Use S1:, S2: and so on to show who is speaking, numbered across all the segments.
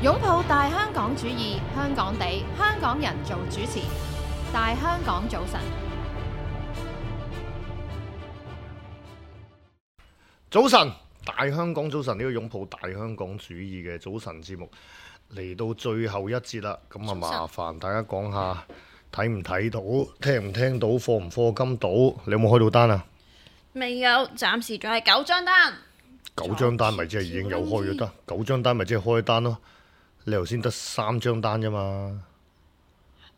S1: 擁抱大香港主義，香港地，香港人做主持。大香港早晨，
S2: 早晨，大香港早晨，呢個擁抱大香港主義嘅早晨節目嚟到最後一節啦，咁啊麻煩大家講下睇唔睇到，聽唔聽到，課唔課金到，你有冇開到單啊？
S3: 未有，暫時仲係9張單。
S2: 9張單咪即係已經有開咗單，9張單咪即係開單咯。你頭先得3張單啫嘛。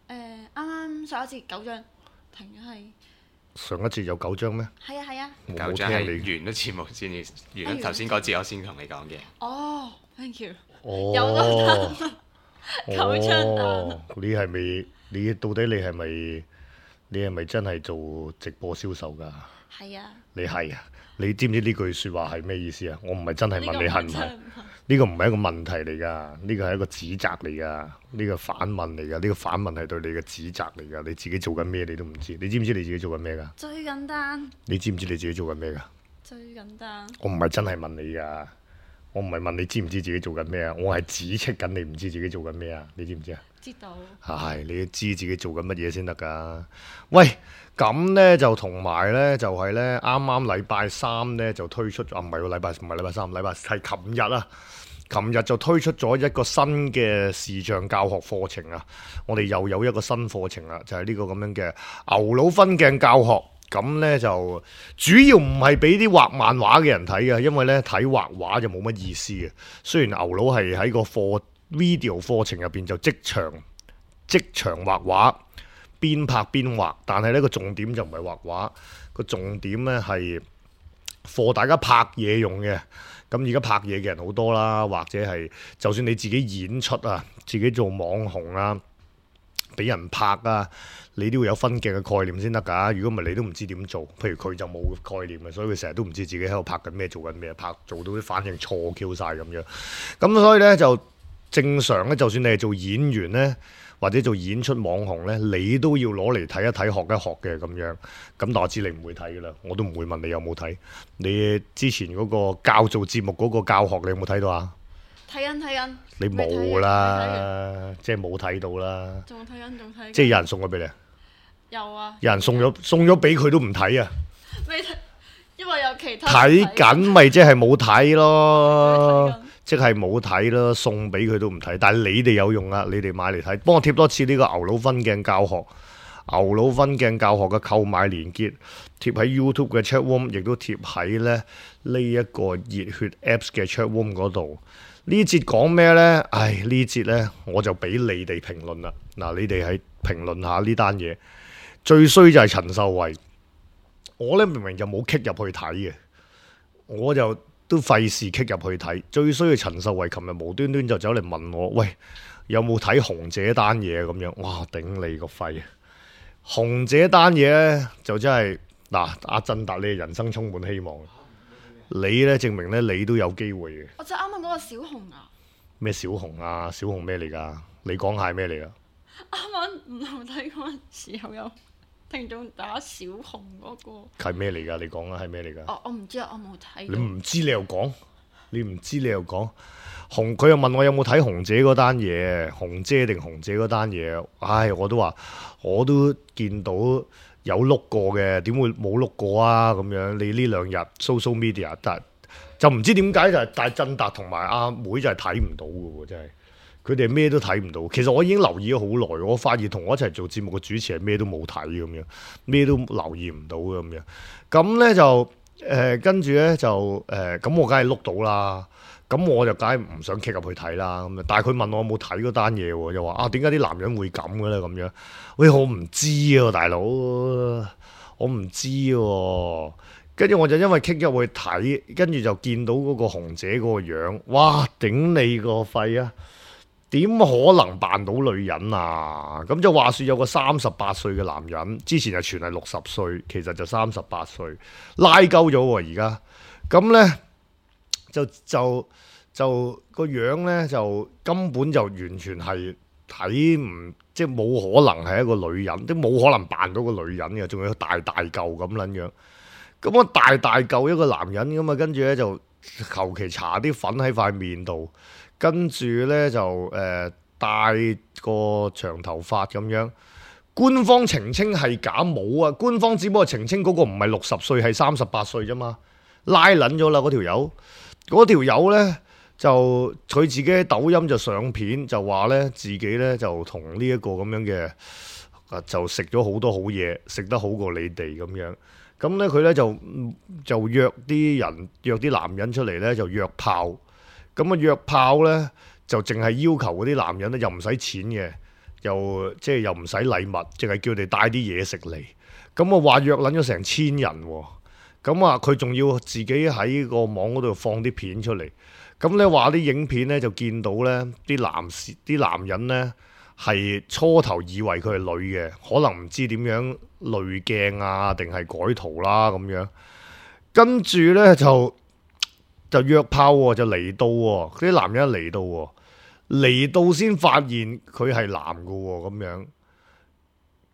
S3: 啱啱上一節9張，停咗係。
S2: 上一節有9張咩？
S3: 係啊係啊。
S2: 我
S4: 9張係
S2: 冇聽你。
S4: 完咗節目先至，完咗頭先嗰節我先同你講嘅。
S3: 哦，thank you。
S2: 哦，
S3: 有咗單9張單。
S2: 哦，你係咪？你到底你係咪真係做直播銷售㗎？
S3: 係啊。
S2: 你係啊？你知唔知呢句説話係咩意思啊？我唔係真係問你係唔係？
S3: 係？
S2: 呢個唔係一個問題嚟㗎，呢個係一個指責嚟㗎，呢個反問嚟㗎，呢個反問係對你嘅指責嚟㗎。你自己做緊咩你都唔知，你知唔知你自己做緊咩㗎？
S3: 追緊單。
S2: 你知唔知你自己做緊咩㗎？
S3: 追緊單。
S2: 我唔係真係問你㗎，我唔係問你知唔知自己做緊咩啊，我係指斥緊你唔知自己做緊咩啊，你知唔知啊？
S3: 知道。
S2: 係，你要知自己做緊乜嘢先得㗎。喂，咁呢就同埋呢，就係呢啱啱禮拜三呢就推出咗，唔係喎，唔係禮拜三，禮拜係琴日啊。琴日就推出咗一個新嘅視像教學課程啊！我哋又有一個新課程啦，就係呢個咁樣嘅牛腦分鏡教學。咁呢就主要唔係俾啲畫漫畫嘅人睇嘅，因為呢睇畫畫就冇乜意思嘅。雖然牛腦係喺個video 課程入邊就即場畫畫，邊拍邊畫，但係呢個重點就唔係畫畫，個重點呢係課大家拍嘢用嘅。咁而家拍嘢嘅人好多啦，或者係就算你自己演出啊，自己做網紅啊，俾人拍啊，你都要有分鏡嘅概念先得㗎。如果唔係，你都唔知點做。譬如佢就冇概念嘅，所以佢成日都唔知自己喺度拍緊咩，做緊咩，做到啲反應錯 Q 晒咁樣。咁所以呢，就正常呢，就算你係做演員呢，或者做演出網紅呢，你都要攞嚟睇一睇、學一學嘅咁樣。咁但我知你唔會睇㗎啦，我都唔會問你有冇睇。你之前嗰個教做節目嗰個教學，你有冇睇到啊？
S3: 睇緊。
S2: 你冇啦，即係冇睇到啦。
S3: 仲睇緊。
S2: 即係有人送咗俾你？
S3: 有啊。
S2: 有人送咗俾佢都唔睇啊？
S3: 未睇，因為有其他。
S2: 睇緊咪即係冇睇咯。即係冇睇啦，送俾佢都唔睇，但係你哋有用啊！你哋買嚟睇，幫我貼多次呢個牛腦分鏡教學，牛腦分鏡教學嘅購買連結貼喺 YouTube 嘅 chat room， 亦都貼喺呢一個熱血 Apps 嘅 chat room 嗰度。呢節講咩呢？呢節呢，我就俾你哋評論啦。嗱，你哋喺評論下呢單嘢。最衰就係陳秀慧，我呢明明就冇 kick 入去睇嘅，我就都費事 kick 入去睇。最衰嘅陳秀慧，琴日無端端就走嚟問我，喂，有冇睇紅姐單嘢咁樣？哇，頂你個肺！紅姐單嘢呢，就真係嗱，阿振達你人生充滿希望，你呢，證明呢，你都有機會嘅。
S3: 我就啱啱嗰個小紅啊。
S2: 咩小紅啊？小紅咩嚟㗎？你講下係咩嚟㗎？
S3: 啱啱唔同睇嗰陣時候有聽眾打小紅嗰個
S2: 係咩嚟㗎？你講啊，係咩嚟㗎？
S3: 我唔知啊，我冇睇。
S2: 你唔知你又講，佢又問我有冇睇紅姐嗰單嘢，紅姐定紅姐嗰單嘢？我都話我都見到有碌過嘅，點會冇碌過啊？咁樣你呢2日 social media 就唔知點解就係大振達同埋阿妹就係睇唔到嘅喎，真係。佢哋咩都睇唔到，其實我已經留意咗好耐，我發現同我一齊做節目嘅主持係咩都冇睇咁樣，咩都留意唔到咁樣。咁呢就跟住呢就咁我梗係碌到啦。咁我就梗係唔想 kick 入去睇啦。咁但係佢問我有冇睇嗰單嘢喎，又話點解啲男人會咁嘅咧咁樣？喂，我唔知啊，大佬，我唔知喎。跟住我就因為 kick 入去睇，跟住就見到嗰個紅姐嗰個樣，哇！頂你個肺啊！點可能扮到女人啊？咁就話說有個38歲嘅男人，之前就傳係60歲，其實就38歲，拉鳩咗喎而家。咁呢，就個樣呢，就根本就完全係睇唔，即係冇可能係一個女人，即冇可能扮到個女人嘅，仲要大大嚿咁撚樣。咁我大大嚿一個男人咁啊，跟住呢，就求其搽啲粉喺塊面度。跟住呢，就戴個長頭髮咁樣。官方澄清係假冇啊！官方只不過澄清嗰個唔係60歲，係38歲啫嘛，拉撚咗啦嗰條友。嗰條友呢，就佢自己喺抖音就上片，就話呢自己呢，就同呢一個咁樣嘅就食咗好多好嘢，食得好過你哋咁樣。咁呢，佢呢，就約啲男人出嚟呢，就約炮。咁啊約炮呢，就淨係要求嗰啲男人呢，又唔使錢嘅。又即係又唔使禮物，淨係叫你帶啲嘢食嚟。咁我話約撚咗成1000人喎。咁啊，佢仲要自己喺個網嗰度放啲片出嚟。咁咧話啲影片咧就見到咧啲男人咧係初頭以為佢係女嘅，可能唔知點樣濾鏡啊，定係改圖啦咁樣。跟住咧就約炮喎，就嚟到喎，啲男人嚟到喎。嚟到先發現佢係男嘅喎，咁樣，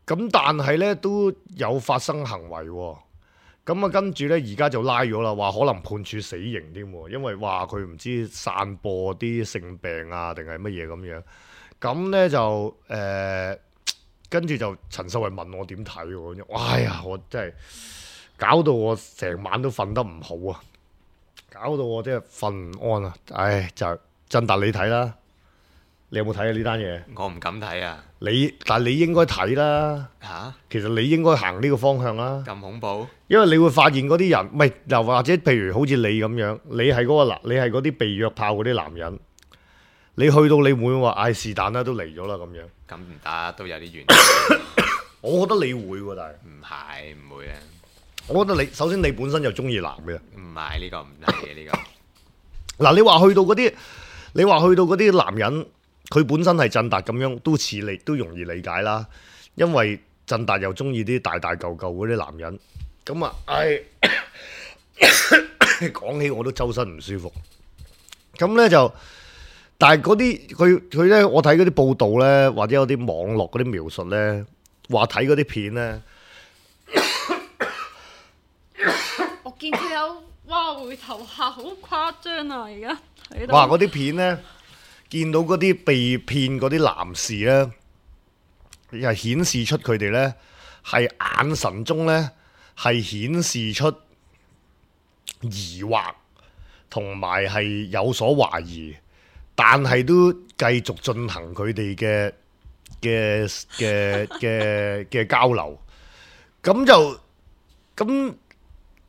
S2: 咁但係呢都有發生行為喎，咁啊跟住呢而家就拉咗啦，話可能判處死刑添喎，因為話佢唔知散播啲性病啊定係乜嘢咁樣，咁呢就跟住就陳秀慧問我點睇喎，哎呀我真係搞到我成晚都瞓得唔好啊，搞到我真係瞓唔安啊，唉就振達你睇啦。你有冇睇啊呢單嘢？
S4: 我唔敢睇啊！
S2: 但係你應該睇啦。
S4: 嚇？
S2: 其實你應該行呢個方向啦。
S4: 咁恐怖？
S2: 因為你會發現嗰啲人，唔係又或者譬如好似你咁樣，你係你係嗰啲被約炮嗰啲男人，你去到你會唔會話唉是但啦都嚟咗啦咁樣？
S4: 咁唔得，都有啲原因。
S2: 我覺得你會喎，但
S4: 係唔會啊？
S2: 我覺得你首先你本身就中意男嘅。
S4: 唔係呢個唔係嘅呢個。
S2: 嗱，你話去到嗰啲男人。佢本身係振達咁樣，都容易理解啦。因為振達又中意啲大大嚿嚿嗰啲男人，咁啊，講起我都周身唔舒服。咁呢就，但係嗰啲佢呢，我睇嗰啲報道呢，或者有啲網絡嗰啲描述呢，話睇嗰啲片呢，
S3: 我見佢有回頭客好誇張啊！而家睇到
S2: 哇嗰啲片呢。見到嗰啲被騙嗰啲男士呢，係顯示出佢哋呢係眼神中呢係顯示出疑惑，同埋係有所懷疑，但係都繼續進行佢哋嘅交流。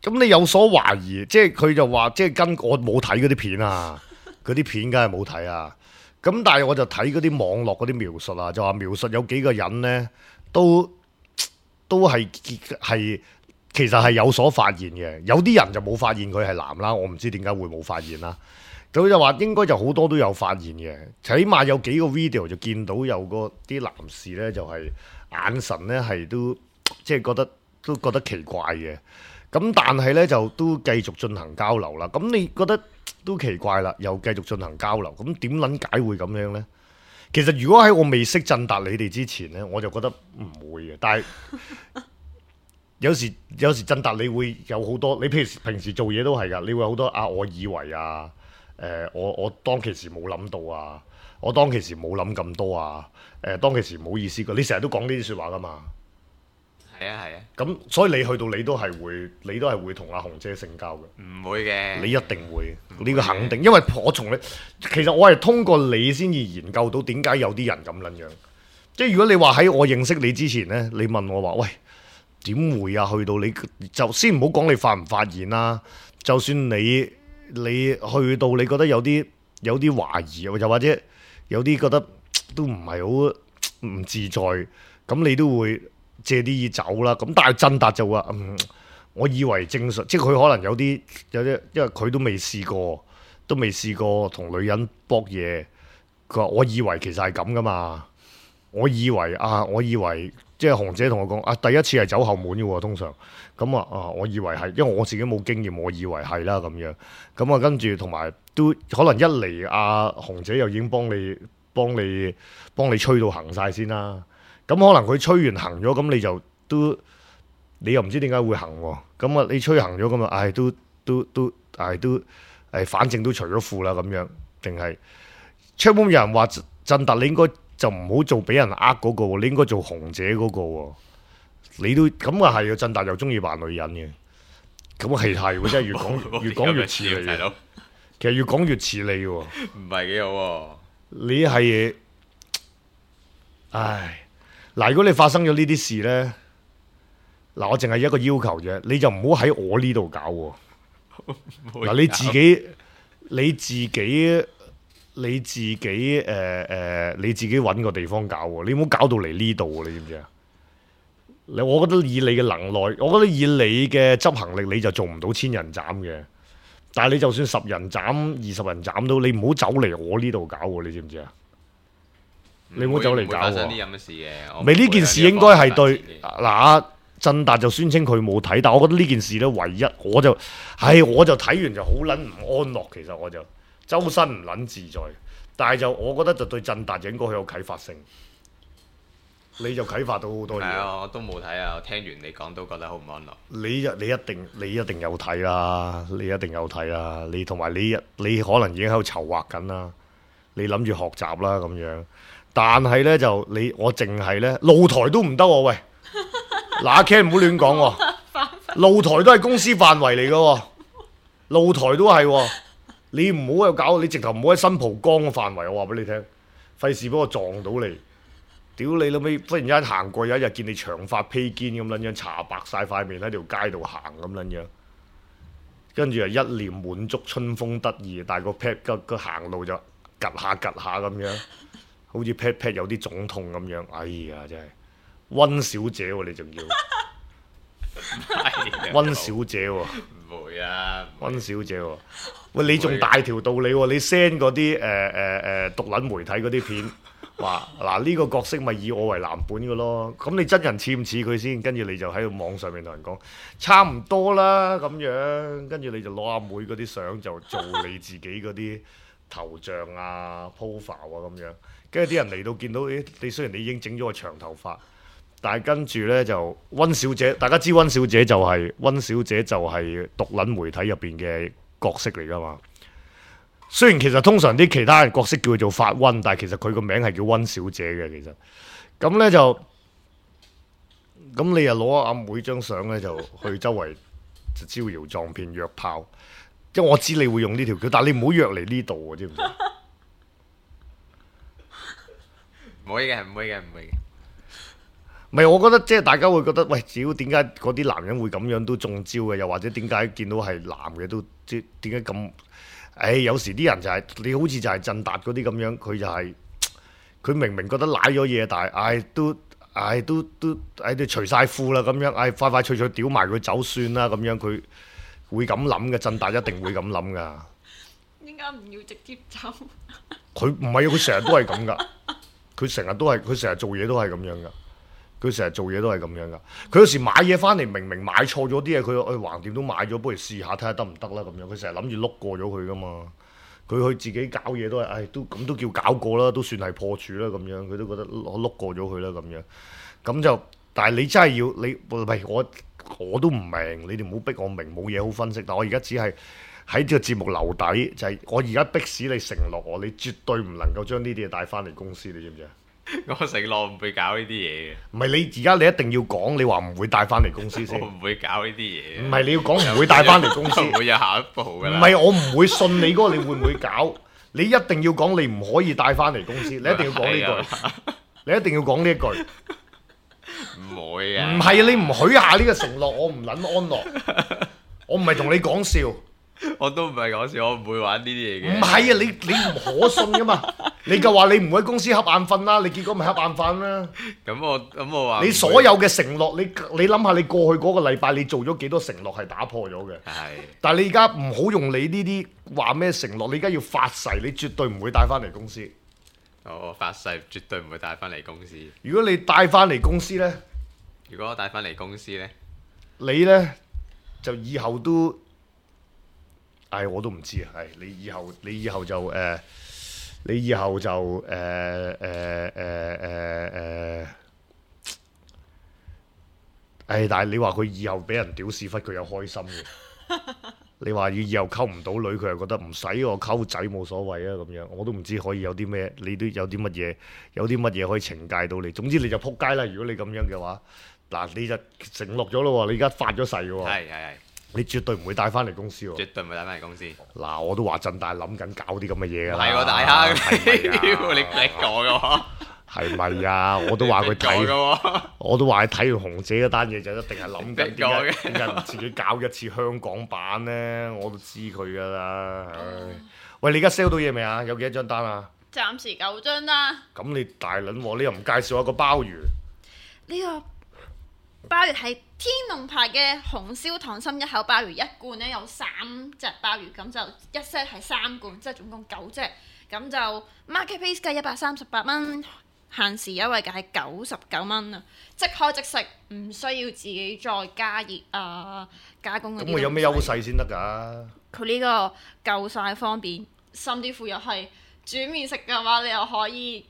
S2: 咁你有所懷疑，即係佢就話，即係跟我冇睇嗰啲片啊，嗰啲片梗係冇睇啊。咁但係我就睇嗰啲網絡嗰啲描述啊，就話描述有幾個人呢，都係其實係有所發現嘅，有啲人就冇發現佢係男啦，我唔知點解會冇發現啦。佢就話應該就好多都有發現嘅，起碼有幾個 video 就見到有啲男士呢，就係眼神呢係都即係覺得奇怪嘅。咁但係呢，就都繼續進行交流啦。咁你覺得？都奇怪啦，又繼續進行交流，咁點撚解會咁樣呢？其實如果喺我未識振達你哋之前呢，我就覺得唔會嘅。但係有時振達你會有好多，你譬如平時做嘢都係㗎，你會有好多我以為啊，我當其時冇諗到啊，我當其時冇諗咁多啊，當其時唔好意思㗎，你成日都講呢啲説話㗎嘛。
S4: 係啊。
S2: 咁所以你去到你都係會同阿紅姐性交嘅。
S4: 唔會嘅。
S2: 你一定會，呢個肯定，因為其實我係通過你先至研究到點解有啲人咁撚樣。即係如果你話喺我認識你之前呢，你問我話喂點會啊？去到你就先唔好講你發唔發現啦，就算你去到你覺得有啲懷疑，又或者有啲覺得都唔係好唔自在，咁你都會借啲意走啦，咁但係振達就話我以為正常，即係佢可能有啲，因為佢都未試過同女人搏嘢，佢話我以為其實係咁噶嘛，我以為即係紅姐同我講第一次係走後門嘅喎，通常咁我以為係，因為我自己冇經驗，我以為係啦咁樣，咁跟住同埋都可能一嚟紅姐又已經幫你吹到行晒先啦。咁可能佢吹完行咗，咁你又唔知點解會行喎？咁你吹行咗咁反正都除咗褲啦咁樣，定係 chatroom 有人話振達你應該就唔好做俾人呃嗰個喎，你應該做紅姐嗰個喎。你都咁啊係啊，振達又中意扮女人嘅，咁啊係喎，真係越講越似你嘅。其實越講越似你喎。
S4: 唔係幾好喎。
S2: 你係，唉，嗱，如果你發生咗呢啲事呢，嗱，我淨係一個要求啫，你就唔好喺我呢度搞喎。嗱，你自己揾個地方搞喎，你唔好搞到嚟呢度喎，你知唔知啊？我覺得以你嘅能耐，我覺得以你嘅執行力，你就做唔到千人斬嘅。但係你就算10人斬、20人斬都，你唔好走嚟我呢度搞喎，你知唔知啊？你唔好走嚟搞喎。
S4: 啲咁嘅事嘅，
S2: 咪呢件事應該係對嗱，振達就宣稱佢冇睇，但我覺得呢件事咧，唯一我就睇完就好撚唔安樂，其實我就周身唔撚自在。但係就我覺得就對振達就應該好有啟發性。你就啟發到好多嘢。
S4: 係啊，我都冇睇啊，我聽完你講都覺得好唔安樂。
S2: 你一定有睇啦，你一定有睇啦，你同埋你可能已經喺度籌劃緊啦，你諗住學習啦咁樣。但係呢，就我淨係呢，露台都唔得喎，喂！嗱，阿 Ken 唔好亂講喎，露台都係公司範圍嚟嘅喎，露台都係喎，你唔好又搞，你直頭唔好喺新蒲崗嘅範圍，我話俾你聽，費事俾我撞到你。屌你老味！忽然間行過有一日見你長髮披肩咁撚樣，搽白晒塊面喺條街度行咁撚樣，跟住啊一臉滿足春風得意，但係個 pat 個行路就趌下咁樣，好似 pat 有啲腫痛咁樣。哎呀，真係温小姐喎、你仲要温小姐喎、
S4: 唔會啊，
S2: 温小姐喎、喂你仲大條道理喎、你 send 嗰啲獨撚媒體嗰啲片。話嗱呢個角色咪以我為藍本嘅咯，咁你真人似唔似佢先？跟住你就喺度網上面同人講差唔多啦咁樣，跟住你就攞阿妹嗰啲相就做你自己嗰啲頭像啊、profile 啊咁樣，跟住啲人嚟到見到，你雖然你已經整咗個長頭髮，但係跟住呢，就温小姐，大家知温小姐就係獨撚媒體入邊嘅角色嚟㗎嘛。雖然其實通常啲其他人角色叫佢做法温，但係其實佢個名係叫温小姐嘅。其實咁呢，就咁你又攞阿妹張相呢，就去周圍就招搖撞騙約炮，即係我知你會用呢條橋，但係你唔好約嚟呢度喎，知唔知？
S4: 唔會嘅。
S2: 唔係，我覺得即係大家會覺得，喂，屌點解嗰啲男人會咁樣都中招嘅？又或者點解見到係男嘅都即點解咁？有時啲人就係、你好似就係振達嗰啲咁樣，佢就係、佢明明覺得舐咗嘢，但係都除晒褲啦咁樣，快快脆脆屌埋佢走算啦咁樣，佢會咁諗嘅，振達一定會咁諗噶。
S3: 點解唔要直接走？
S2: 佢唔係啊，佢成日都係咁噶，佢成日做嘢都係咁樣噶。佢成日做嘢都係咁樣噶，佢有時買嘢翻嚟明明買錯咗啲嘢，佢橫掂都買咗，不如試下睇下得唔得啦咁樣。佢成日諗住碌過咗佢噶嘛，佢去自己搞嘢都係，都叫搞過啦，都算係破處啦咁樣。佢都覺得碌過咗佢啦咁樣。咁就，但係你真係要你，喂我都唔明，你哋唔好逼我明，冇嘢好分析。但我而家只係喺呢個節目留底，就係、我而家逼使你承諾我，你絕對唔能夠將呢啲嘢帶翻嚟公司，你知唔知啊？
S4: 我承諾唔會搞呢啲嘢嘅。
S2: 唔係你而家你一定要講，你話唔會帶翻嚟公司先。
S4: 我唔會搞呢啲嘢。
S2: 唔係你要講唔會帶翻嚟公司。
S4: 唔會有下一步㗎啦。
S2: 唔係我唔會信你嗰個，你會唔會搞？你一定要講，你唔可以帶翻嚟公司，你一定要講呢句。你一定要講呢一句。
S4: 唔會啊。
S2: 唔係你唔許下呢個承諾，我唔撚安樂。我唔係同你講笑。
S4: 我都唔係講笑，我唔會玩呢啲嘢嘅。
S2: 唔係啊，你唔可信噶嘛？你就話你唔會喺公司瞌眼瞓啦，你結果咪瞌眼瞓啦。
S4: 咁我話
S2: 你所有嘅承諾，你諗下，你過去嗰個禮拜你做咗幾多承諾係打破咗嘅？
S4: 係。
S2: 但係你而家唔好用你呢啲話咩承諾，你而家要發誓，你絕對唔會帶翻嚟公司。
S4: 我發誓絕對唔會帶翻嚟公司。
S2: 如果你帶翻嚟公司呢，
S4: 如果我帶翻嚟公司呢，
S2: 你呢，就以後都，我都唔知啊。你以後就你以後就但係你話佢以後俾人屌屎忽，佢有開心嘅。你話要以後溝唔到女，佢又覺得唔使我溝仔冇所謂啊咁樣，我都唔知可以有啲咩，你都有啲乜嘢可以懲戒到你。總之你就撲街啦！如果你咁樣嘅話，嗱你就承諾咗咯喎，你而家發咗誓喎，
S4: 係，
S2: 你絕對唔會帶翻嚟公司喎。
S4: 絕對唔會帶翻嚟公司。
S2: 嗱，我都話震大諗緊搞啲咁嘅嘢㗎啦。
S4: 係喎，大坑，
S2: 係咪啊
S4: 你講嘅喎。
S2: 係咪啊？我都話佢睇，我都話佢睇完紅姐嗰單嘢就一定係諗緊點解唔自己搞一次香港版呢？我都知佢㗎啦。喂，你而家 sell 到嘢未啊？有幾多張單啊？
S3: 暫時9張啦。
S2: 咁你大撚喎，你又唔介紹一個鮑魚？
S3: 呢個鮑魚係天龍牌嘅紅燒溏心一口鮑魚，一罐呢有3隻鮑魚，咁就一 set 係3罐，即係總共9隻。咁就 market price 計138蚊。限時優惠價係99蚊啊！即開即食，唔需要自己再加熱啊加工嗰啲。
S2: 咁我有咩優勢先得㗎？
S3: 佢呢個夠晒方便，甚至乎又係煮麵食嘅話，你又可以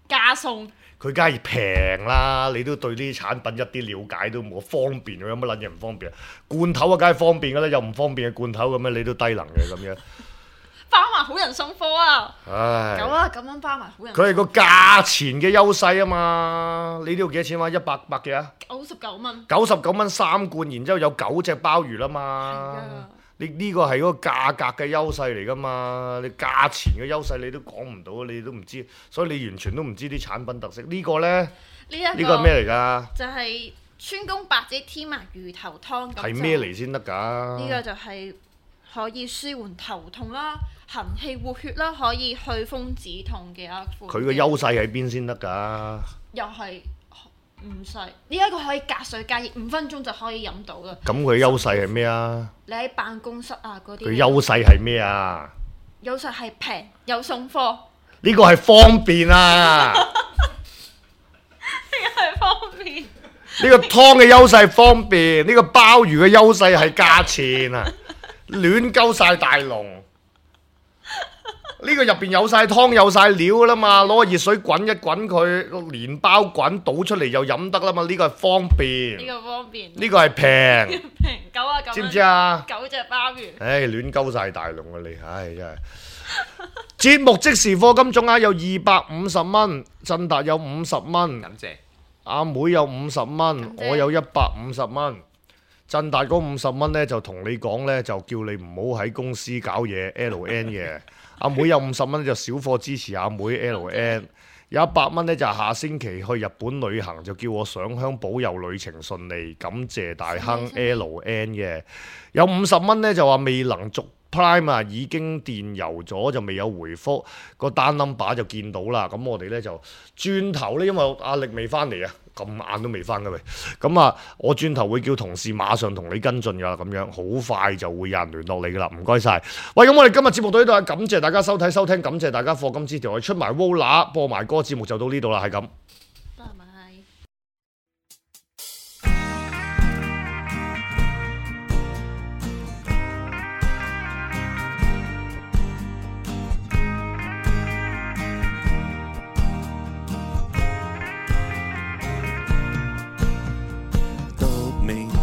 S3: 加餸。
S2: 佢梗係平啦，你都對呢啲產品一啲了解都冇，方便有乜撚嘢唔方便啊？罐頭啊，梗係方便㗎啦，又唔方便嘅罐頭咁樣，你都低能嘅咁樣。
S3: 包埋好人送貨啊！
S2: 唉，
S3: 咁啊，咁樣包埋好人。
S2: 佢係個價錢嘅優勢啊嘛！你呢度幾多錢話100幾啊
S3: ？99蚊。
S2: 99蚊3罐，然之後有9隻鮑魚啦嘛。你呢個係嗰個價格嘅優勢嚟噶嘛？你價錢嘅優勢你都講唔到，你都唔知，所以你完全都唔知啲產品特色。呢個呢？呢個係咩嚟㗎？
S3: 就係川芎白芷天麻魚頭湯。
S2: 係咩嚟先得㗎？
S3: 呢個就係可以舒緩頭痛啦、行氣活血啦，可以去風止痛嘅一款。
S2: 佢個優勢喺邊先得㗎？
S3: 又係唔細，呢一個可以隔水加熱5分鐘就可以飲到啦。
S2: 咁佢優勢係咩啊？
S3: 你喺辦公室啊嗰啲。
S2: 佢優勢係咩啊？
S3: 優勢係平又送貨。
S2: 呢個係方便啊！
S3: 呢個係方便。
S2: 呢個湯嘅優勢係方便，呢個鮑魚嘅優勢係價錢啊！亂鳩晒大龍。呢個入邊有晒湯有晒料噶啦嘛，攞個熱水滾一滾佢，個連包滾倒出嚟又飲得啦嘛，呢個係方便。
S3: 呢個方便。呢
S2: 個係平。
S3: 平99蚊。
S2: 知唔知啊
S3: ？9隻鮑魚。
S2: 唉，亂鳩晒大龍啊你，唉真係。節目即時課金總額有250蚊，振達有50蚊，
S4: 感謝。
S2: 阿妹有50蚊，我有150蚊。振達嗰50蚊呢，就同你講呢，就叫你唔好喺公司搞嘢 LN 嘅。阿妹有50蚊就小貨支持阿妹 LN， 有100蚊呢，就下星期去日本旅行，就叫我上香保佑旅程順利，感謝大亨 LN 嘅。有50蚊呢，就話未能續 Prime 啊，已經電郵咗就未有回覆，個單 number 就見到啦。咁我哋呢，就轉頭呢，因為阿力未翻嚟啊。咁晏都未翻㗎喂，咁啊，我轉頭會叫同事馬上同你跟進㗎啦，咁樣好快就會有人聯絡你㗎啦，唔該晒。喂，咁我哋今日節目到呢度啊，感謝大家收睇收聽，感謝大家課金支持，我哋出埋 Vola 播埋歌，節目就到呢度啦，係咁。
S3: 拜拜。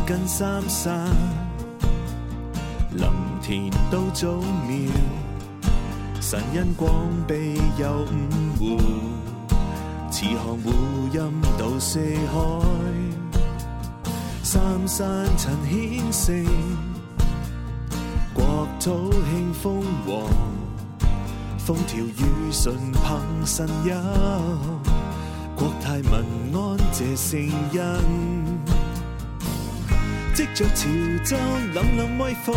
S5: 跟三山林田都早苗，神因光庇佑五湖，慈航湖蔭到四海，三山陳顯聖，國土興豐旺，風調雨順憑神佑，國泰民安謝聖恩。藉着潮州凜凜威風，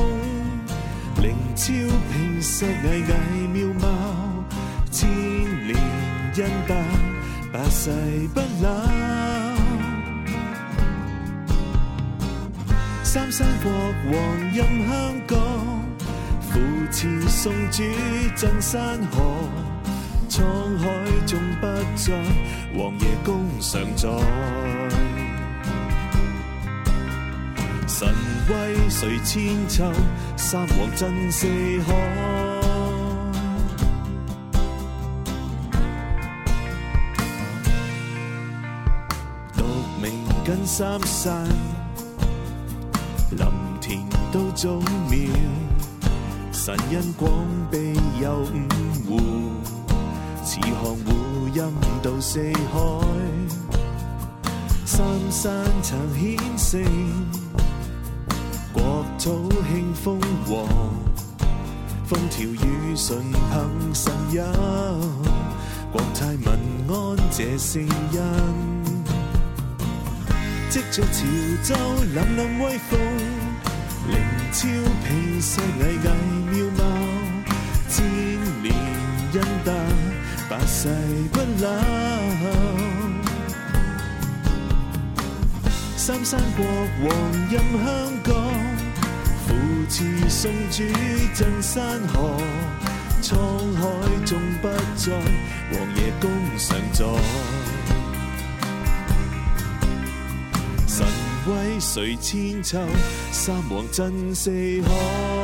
S5: 靈超平石巍巍妙貌，千年恩德百世不朽。三山國王任香港，扶持送主鎮山河，滄海中不再王爺公常在。神威垂千秋，三皇震四海。獨明跟三山，林田都早苗，神因廣庇有五湖，似航湖蔭到四海，三山曾顯聖，國土興豐禾，風調雨順憑神佑，國泰民安這聖恩。藉着潮州凜凜威風，靈超平世巍巍妙貌，千年恩德百世不朽。三山國王任香港，扶持送主鎮山河，滄海縱不再，王爺公上座。神威垂千秋，三皇震四海。